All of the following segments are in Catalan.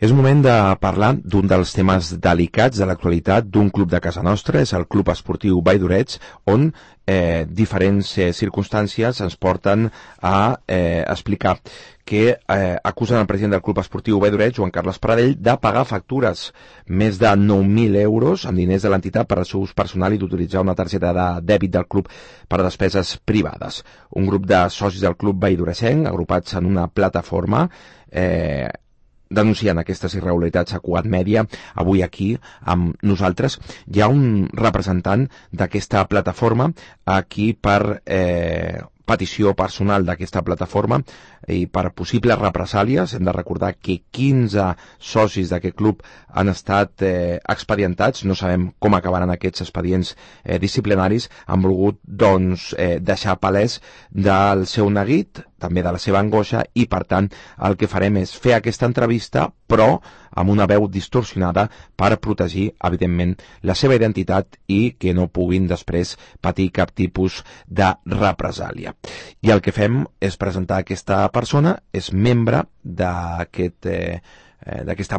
És moment de parlar d'un dels temes delicats de l'actualitat d'un club de casa nostra, és el Club Esportiu Vall d'Orets, on diferents circumstàncies ens porten a explicar que acusen el president del Club Esportiu Vall d'Orets, Joan Carles Pradell, de pagar factures més de 9.000 euros amb diners de l'entitat per al seu ús personal i d'utilitzar una targeta de dèbit del club per a despeses privades. Un grup de socis del club valld'oretsenc, agrupats en una plataforma, denunciant aquestes irregularitats a Cugat Mèdia. Avui aquí amb nosaltres hi ha un representant d'aquesta plataforma aquí per petició personal d'aquesta plataforma i per possibles represàlies. Hem de recordar que 15 socis d'aquest club han estat expedientats, no sabem com acabaran aquests expedients disciplinaris. Han volgut deixar palès del seu neguit, també de la seva angoixa, i per tant el que farem és fer aquesta entrevista però amb una veu distorsionada per protegir evidentment la seva identitat i que no puguin després patir cap tipus de represàlia. I el que fem és presentar aquesta persona, és membre d'aquesta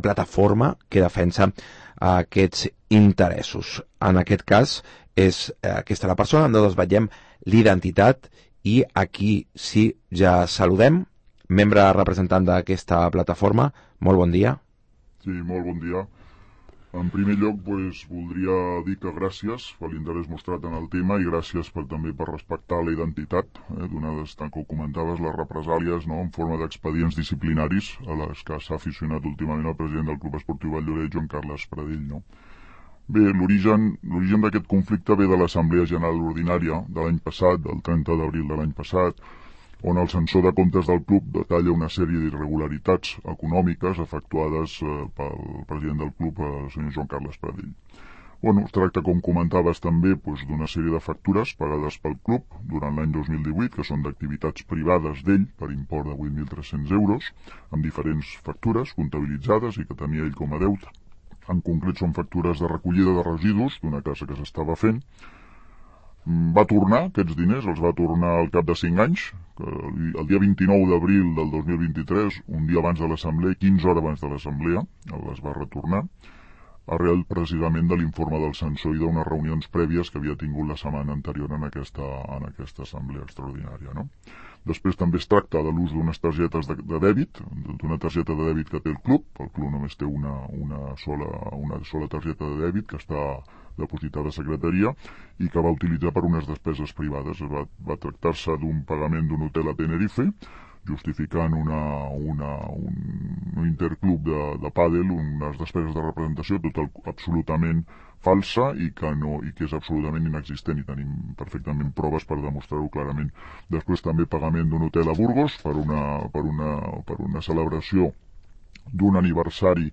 plataforma que defensa aquests interessos. En aquest cas és aquesta la persona, no desvetllem l'identitat. I aquí sí, ja saludem, membre representant d'aquesta plataforma. Molt bon dia. Sí, molt bon dia. En primer lloc, voldria dir que gràcies per l'interès mostrat en el tema i gràcies també per respectar la identitat, donades, tant que ho comentaves, les represàlies en forma d'expedients disciplinaris a les que s'ha aficionat últimament el president del Club Esportiu Vall d'Orets, Joan Carles Pradell. Bé, l'origen d'aquest conflicte ve de l'Assemblea General Ordinària de l'any passat, del 30 d'abril de l'any passat, on el censor de comptes del club detalla una sèrie d'irregularitats econòmiques efectuades pel president del club, el senyor Joan Carles Pradell. Es tracta, com comentaves també, d'una sèrie de factures pagades pel club durant l'any 2018, que són d'activitats privades d'ell per import de 8.300 euros, amb diferents factures comptabilitzades i que tenia ell com a deute. En concret són factures de recollida de residus d'una casa que s'estava fent. Va tornar aquests diners, els va tornar al cap de 5 anys, el dia 29 d'abril del 2023, un dia abans de l'assemblea, 15 hores abans de l'assemblea, les va retornar, arrel precisament de l'informe del censor i d'unes reunions prèvies que havia tingut la setmana anterior en aquesta assemblea extraordinària. Després també es tracta de l'ús d'unes targetes de dèbit, d'una targeta de dèbit que té el club només té una sola targeta de dèbit que està depositada a secretaria i que va utilitzar per unes despeses privades. Va tractar-se d'un pagament d'un hotel a Tenerife, justificant un interclub de pàdel, unes despeses de representació absolutament falsa i que és absolutament inexistent, i tenim perfectament proves per demostrar-ho clarament. Després també pagament d'un hotel a Burgos per una celebració d'un aniversari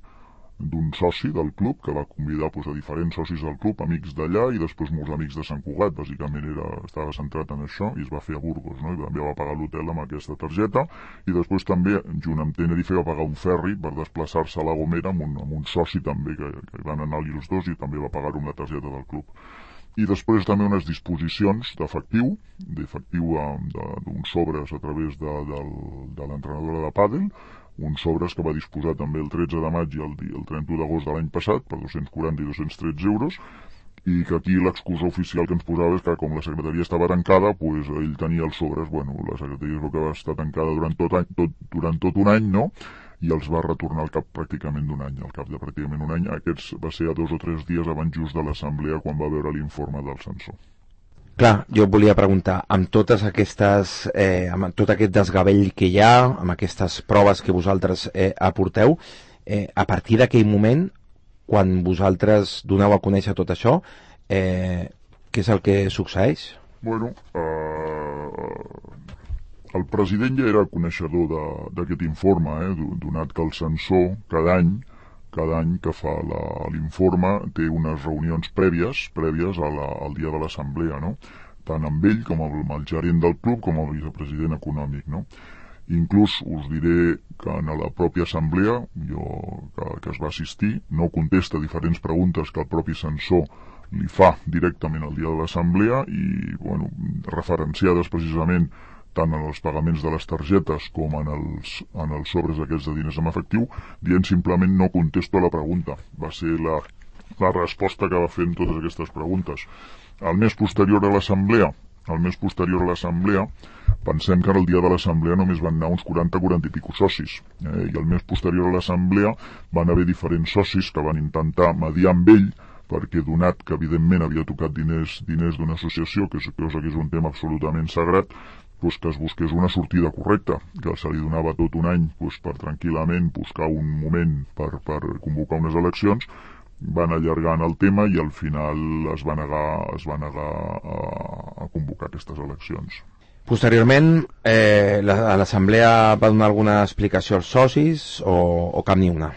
d'un soci del club que va convidar a diferents socis del club, amics d'allà i després molts amics de Sant Cugat. Bàsicament estava centrat en això i es va fer a Burgos, i també va pagar l'hotel amb aquesta targeta, i després també junt amb Tenerife va pagar un ferri per desplaçar-se a La Gomera amb un soci també que van anar-hi els dos i també va pagar-ho amb la targeta del club. I després també unes disposicions d'efectiu d'uns sobres a través de l'entrenadora de pàdel, uns sobres que va disposar també el 13 de maig i el 31 d'agost de l'any passat per 240 i 213 euros, i que aquí l'excusa oficial que ens posava és que com la secretaria estava tancada, ell tenia els sobres. La secretaria és el que va estar tancada durant tot un any, i els va retornar al cap pràcticament d'un any, al cap de pràcticament un any. Aquests va ser a 2 o 3 dies abans just de l'assemblea quan va veure l'informe del censor. Clar, jo volia preguntar, amb totes aquestes, amb tot aquest desgavell que hi ha, amb aquestes proves que vosaltres aporteu, a partir d'aquell moment, quan vosaltres doneu a conèixer tot això, què és el que succeeix? El president ja era coneixedor d'aquest informe, donat que el censor cada any que fa l'informe té unes reunions prèvies al dia de l'assemblea, tant amb ell com amb el gerent del club com amb el vicepresident econòmic. Inclús us diré que en la pròpia assemblea que es va assistir no contesta diferents preguntes que el propi censor li fa directament el dia de l'assemblea i referenciades precisament tant en els pagaments de les targetes com en els sobres aquests de diners en efectiu, dient simplement no contesto a la pregunta. Va ser la resposta que va fer en totes aquestes preguntes. El mes posterior a l'assemblea, pensem que el dia de l'assemblea només van anar uns 40 i pico socis, i el mes posterior a l'assemblea van haver diferents socis que van intentar mediar amb ell, perquè donat que evidentment havia tocat diners d'una associació, que és un tema absolutament sagrat, doncs que es busqués una sortida correcta, que se li donava tot un any per tranquil·lament buscar un moment per convocar unes eleccions. Van allargant el tema i al final es va negar a convocar aquestes eleccions. Posteriorment, l'Assemblea va donar alguna explicació als socis o cap ni una?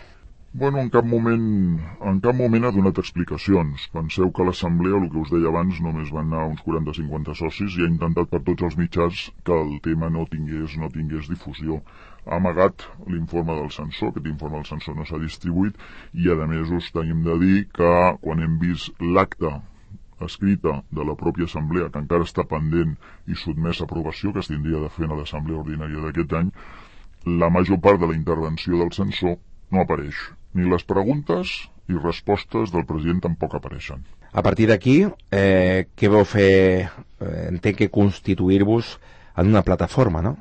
Bueno, en cap moment ha donat explicacions. Penseu que a l'Assemblea, el que us deia abans, només van anar uns 40-50 socis i ha intentat per tots els mitjans que el tema no tingués difusió. Ha amagat l'informe del censor, aquest informe del censor no s'ha distribuït, i a més us tenim de dir que quan hem vist l'acta escrita de la pròpia assemblea, que encara està pendent i sotmès a aprovació, que es tindria de fer a l'assemblea ordinària d'aquest any, la major part de la intervenció del censor no apareix. Ni les preguntes i respostes del president tampoc apareixen. A partir d'aquí, què vau fer? Entenc que constituir-vos en una plataforma, no?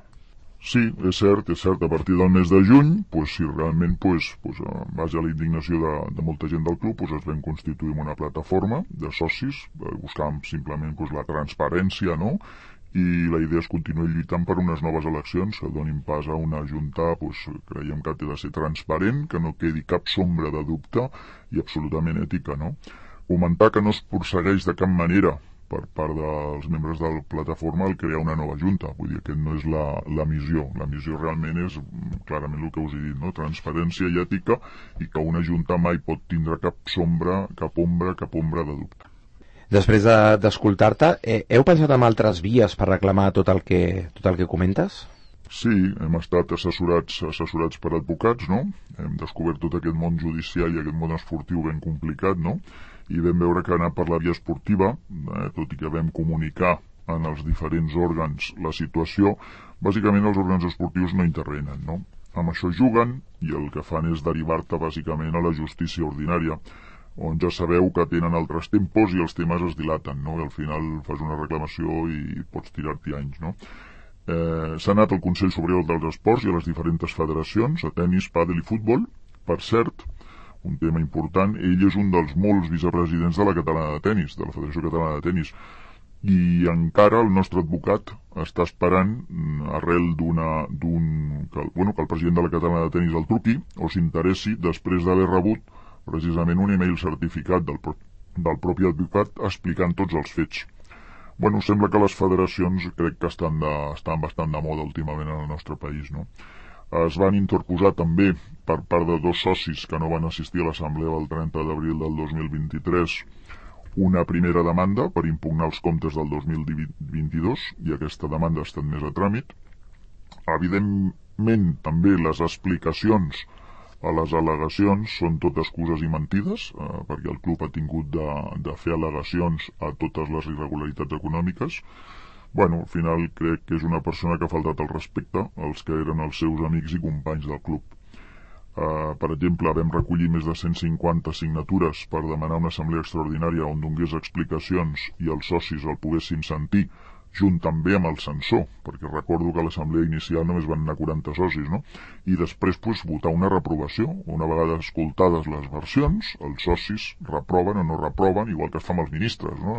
Sí, és cert. A partir del mes de juny, si realment, en base a la indignació de molta gent del club, es vam constituir en una plataforma de socis, buscàvem simplement la transparència, no?, i la idea és continuar lluitant per unes noves eleccions que donin pas a una junta, creiem que ha de ser transparent, que no quedi cap sombra de dubte i absolutament ètica, no? Comentar que no es persegueix de cap manera per part dels membres de la plataforma el crear una nova junta, vull dir que no és la missió. La missió realment és clarament el que us he dit, no? Transparència i ètica, i que una junta mai pot tindre cap ombra de dubte. Després d'escoltar-te, heu pensat en altres vies per reclamar tot el que comentes? Sí, hem estat assessorats per advocats, no? Hem descobert tot aquest món judicial i aquest món esportiu ben complicat, no? I vam veure que anar per la via esportiva, tot i que vam comunicar en els diferents òrgans la situació, bàsicament els òrgans esportius no intervenen, no? Amb això juguen i el que fan és derivar-te bàsicament a la justícia ordinària, on ja sabeu que tenen altres tempos i els temes es dilaten, no? I al final fas una reclamació i pots tirar-t'hi anys, no? S'ha anat al Consell Superior dels Esports i a les diferents federacions, a tenis, pàdel i futbol. Per cert, un tema important, ell és un dels molts vicepresidents de la Catalana de Tenis, de la Federació Catalana de Tenis, i encara el nostre advocat està esperant, arrel que el president de la Catalana de Tenis el truqui o s'interessi després d'haver rebut precisament un email certificat del propi advocat explicant tots els fets. Sembla que les federacions crec que estan bastant de moda últimament en el nostre país, no? Es van interposar també per part de 2 socis que no van assistir a l'assemblea del 30 d'abril del 2023 una primera demanda per impugnar els comptes del 2022 i aquesta demanda ha estat més a tràmit. Evidentment, també les explicacions a les al·legacions són tot excuses i mentides, perquè el club ha tingut de fer al·legacions a totes les irregularitats econòmiques. Al final crec que és una persona que ha faltat el respecte als que eren els seus amics i companys del club. Per exemple, vam recollir més de 150 signatures per demanar una assemblea extraordinària on donés explicacions i els socis el poguessin sentir, junt també amb el censor, perquè recordo que a l'assemblea inicial només van anar 40 socis, no? I després votar una reprovació. Una vegada escoltades les versions, els socis reproven o no reproven, igual que es fa amb els ministres, no?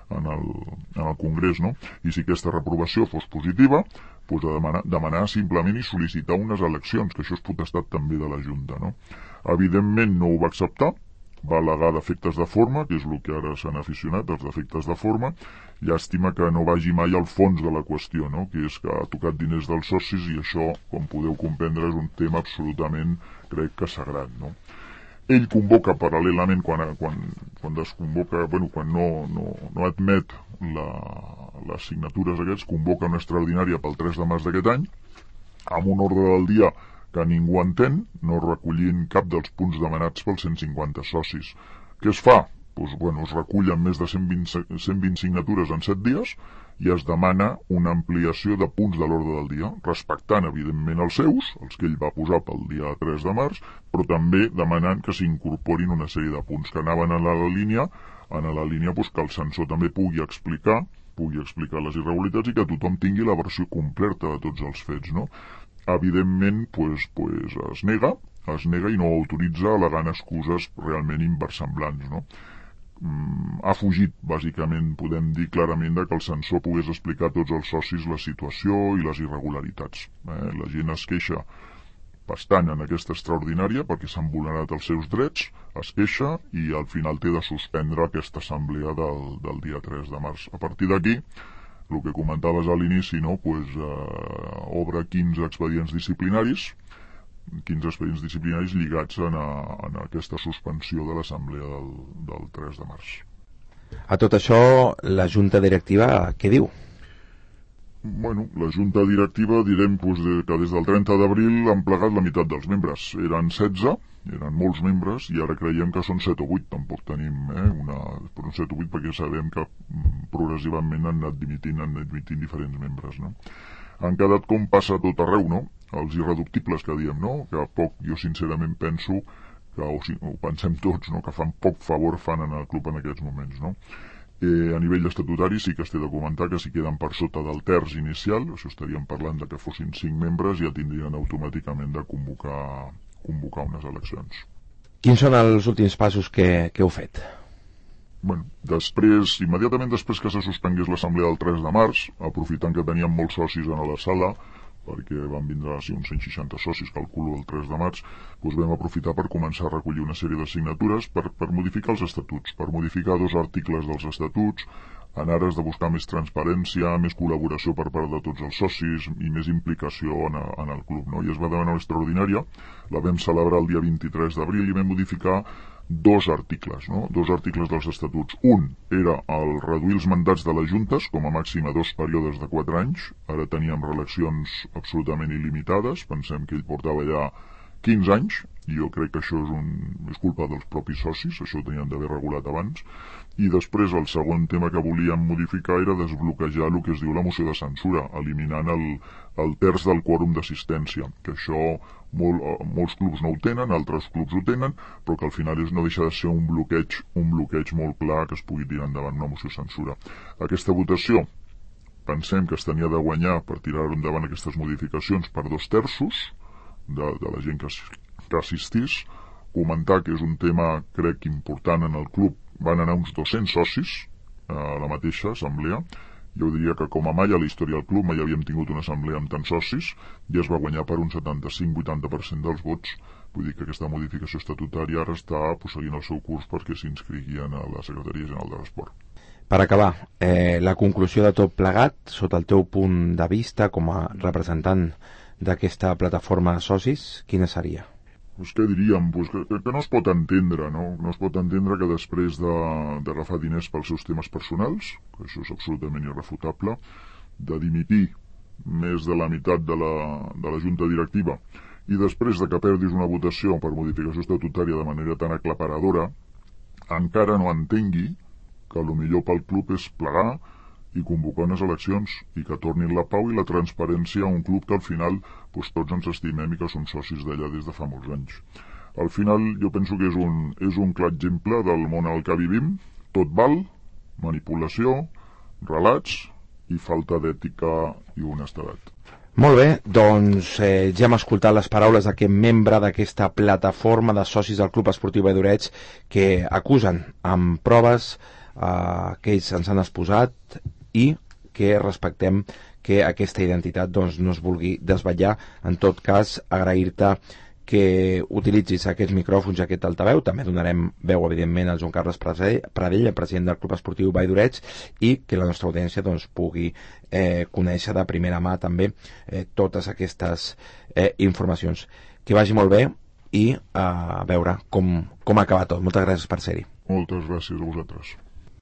En el Congrés, no? I si aquesta reprovació fos positiva, demanar simplement i sol·licitar unes eleccions, que això és potestat també de la Junta, no? Evidentment no ho va acceptar, va al·legar defectes de forma, que és el que ara s'han aficionat, els defectes de forma. Llàstima que no vagi mai al fons de la qüestió, no? Que és que ha tocat diners dels socis i això, com podeu comprendre, és un tema absolutament, crec que sagrat, no? Ell convoca paral·lelament, quan desconvoca, quan no admet les signatures aquests, convoca una extraordinària pel 3 de març d'aquest any, amb un ordre del dia que ningú entén, no recollint cap dels punts demanats pels 150 socis. Què es fa? es recullen més de 120 signatures en 7 dies i es demana una ampliació de punts de l'ordre del dia, respectant, evidentment, els seus, els que ell va posar pel dia 3 de març, però també demanant que s'incorporin una sèrie de punts que anaven a la línia que el censor també pugui explicar les irregularitats i que tothom tingui la versió completa de tots els fets, no? Evidentment, es nega i no autoritza al·legant excuses realment inversemblants, no? Ha fugit, bàsicament, podem dir clarament, que el censor pogués explicar a tots els socis la situació i les irregularitats. La gent es queixa bastant en aquesta extraordinària perquè s'han vulnerat els seus drets, es queixa i al final té de suspendre aquesta assemblea del dia 3 de març. A partir d'aquí, el que comentaves a l'inici, no? Obre 15 expedients disciplinaris lligats a aquesta suspensió de l'assemblea del 3 de març. A tot això, la Junta Directiva què diu? La Junta Directiva direm que des del 30 d'abril han plegat la meitat dels membres. Eren 16, eren molts membres, i ara creiem que són 7 o 8. Tampoc tenim però 7 o 8 perquè sabem que progressivament han anat dimitint diferents membres, no? Han quedat com passa a tot arreu, no? Els irreductibles que diem, no? Que poc, jo sincerament penso que, ho pensem tots, no? Que poc favor fan en el club en aquests moments, no? A nivell estatutari sí que es té de comentar que si queden per sota del terç inicial, això estaríem parlant de que fossin 5 membres, ja tindrien automàticament de convocar unes eleccions. Quins són els últims passos que heu fet? Immediatament després que se suspengués l'assemblea del 3 de març, aprofitant que teníem molts socis a la sala, perquè van vindre uns 160 socis, calculo, el 3 de març, vam aprofitar per començar a recollir una sèrie de signatures per modificar els estatuts, per modificar 2 articles dels estatuts, en ares de buscar més transparència, més col·laboració per part de tots els socis i més implicació en el club, no? I es va demanar una extraordinària, la vam celebrar el dia 23 d'abril i vam modificar 2 articles, no? 2 articles dels estatuts. Un era el reduir els mandats de les juntes com a màxim a 2 períodes de 4 anys. Ara teníem reeleccions absolutament il·limitades. Pensem que ell portava ja 15 anys, i jo crec que això és culpa dels propis socis, això ho tenien d'haver regulat abans. I després el segon tema que volíem modificar era desbloquejar el que es diu la moció de censura, eliminant el terç del quòrum d'assistència, que això molts clubs no ho tenen, altres clubs ho tenen, però que al final no deixa de ser un bloqueig molt clar que es pugui tirar endavant una moció de censura. Aquesta votació pensem que es tenia de guanyar per tirar endavant aquestes modificacions per 2 terços de la gent que assistís. Comentar que és un tema, crec, important en el club. Van anar uns 200 socis a la mateixa assemblea. Jo diria que com a mai a la història del club mai havíem tingut una assemblea amb tants socis i es va guanyar per un 75-80% dels vots. Vull dir que aquesta modificació estatutària ara està seguint el seu curs perquè s'inscriguien a la Secretaria General de l'Esport. Per acabar, la conclusió de tot plegat, sota el teu punt de vista com a representant d'aquesta plataforma de socis, quina seria? Què diríem? Que no es pot entendre, no? No es pot entendre que després d'agafar diners pels seus temes personals, que això és absolutament irrefutable, de dimitir més de la meitat de la junta directiva i després de que perdis una votació per modificació estatutària de manera tan aclaparadora, encara no entengui que el millor pel club és plegar i convocar unes eleccions i que tornin la pau i la transparència a un club que al final tots ens estimem i que som socis d'allà des de fa molts anys. Al final jo penso que és un clar exemple del món al que vivim. Tot val, manipulació, relats i falta d'ètica i honestedat. Molt bé, doncs ja hem escoltat les paraules d'aquest membre d'aquesta plataforma de socis del Club Esportiu Valldoreix que acusen amb proves que ells ens han exposat i que respectem que aquesta identitat no es vulgui desvetllar. En tot cas, agrair-te que utilitzis aquests micròfons i aquest altaveu. També donarem veu, evidentment, al Joan Carles Pradell, el president del Club Esportiu Valldoreix, i que la nostra audiència pugui conèixer de primera mà també totes aquestes informacions. Que vagi molt bé i a veure com acaba tot. Moltes gràcies per ser-hi. Moltes gràcies a vosaltres.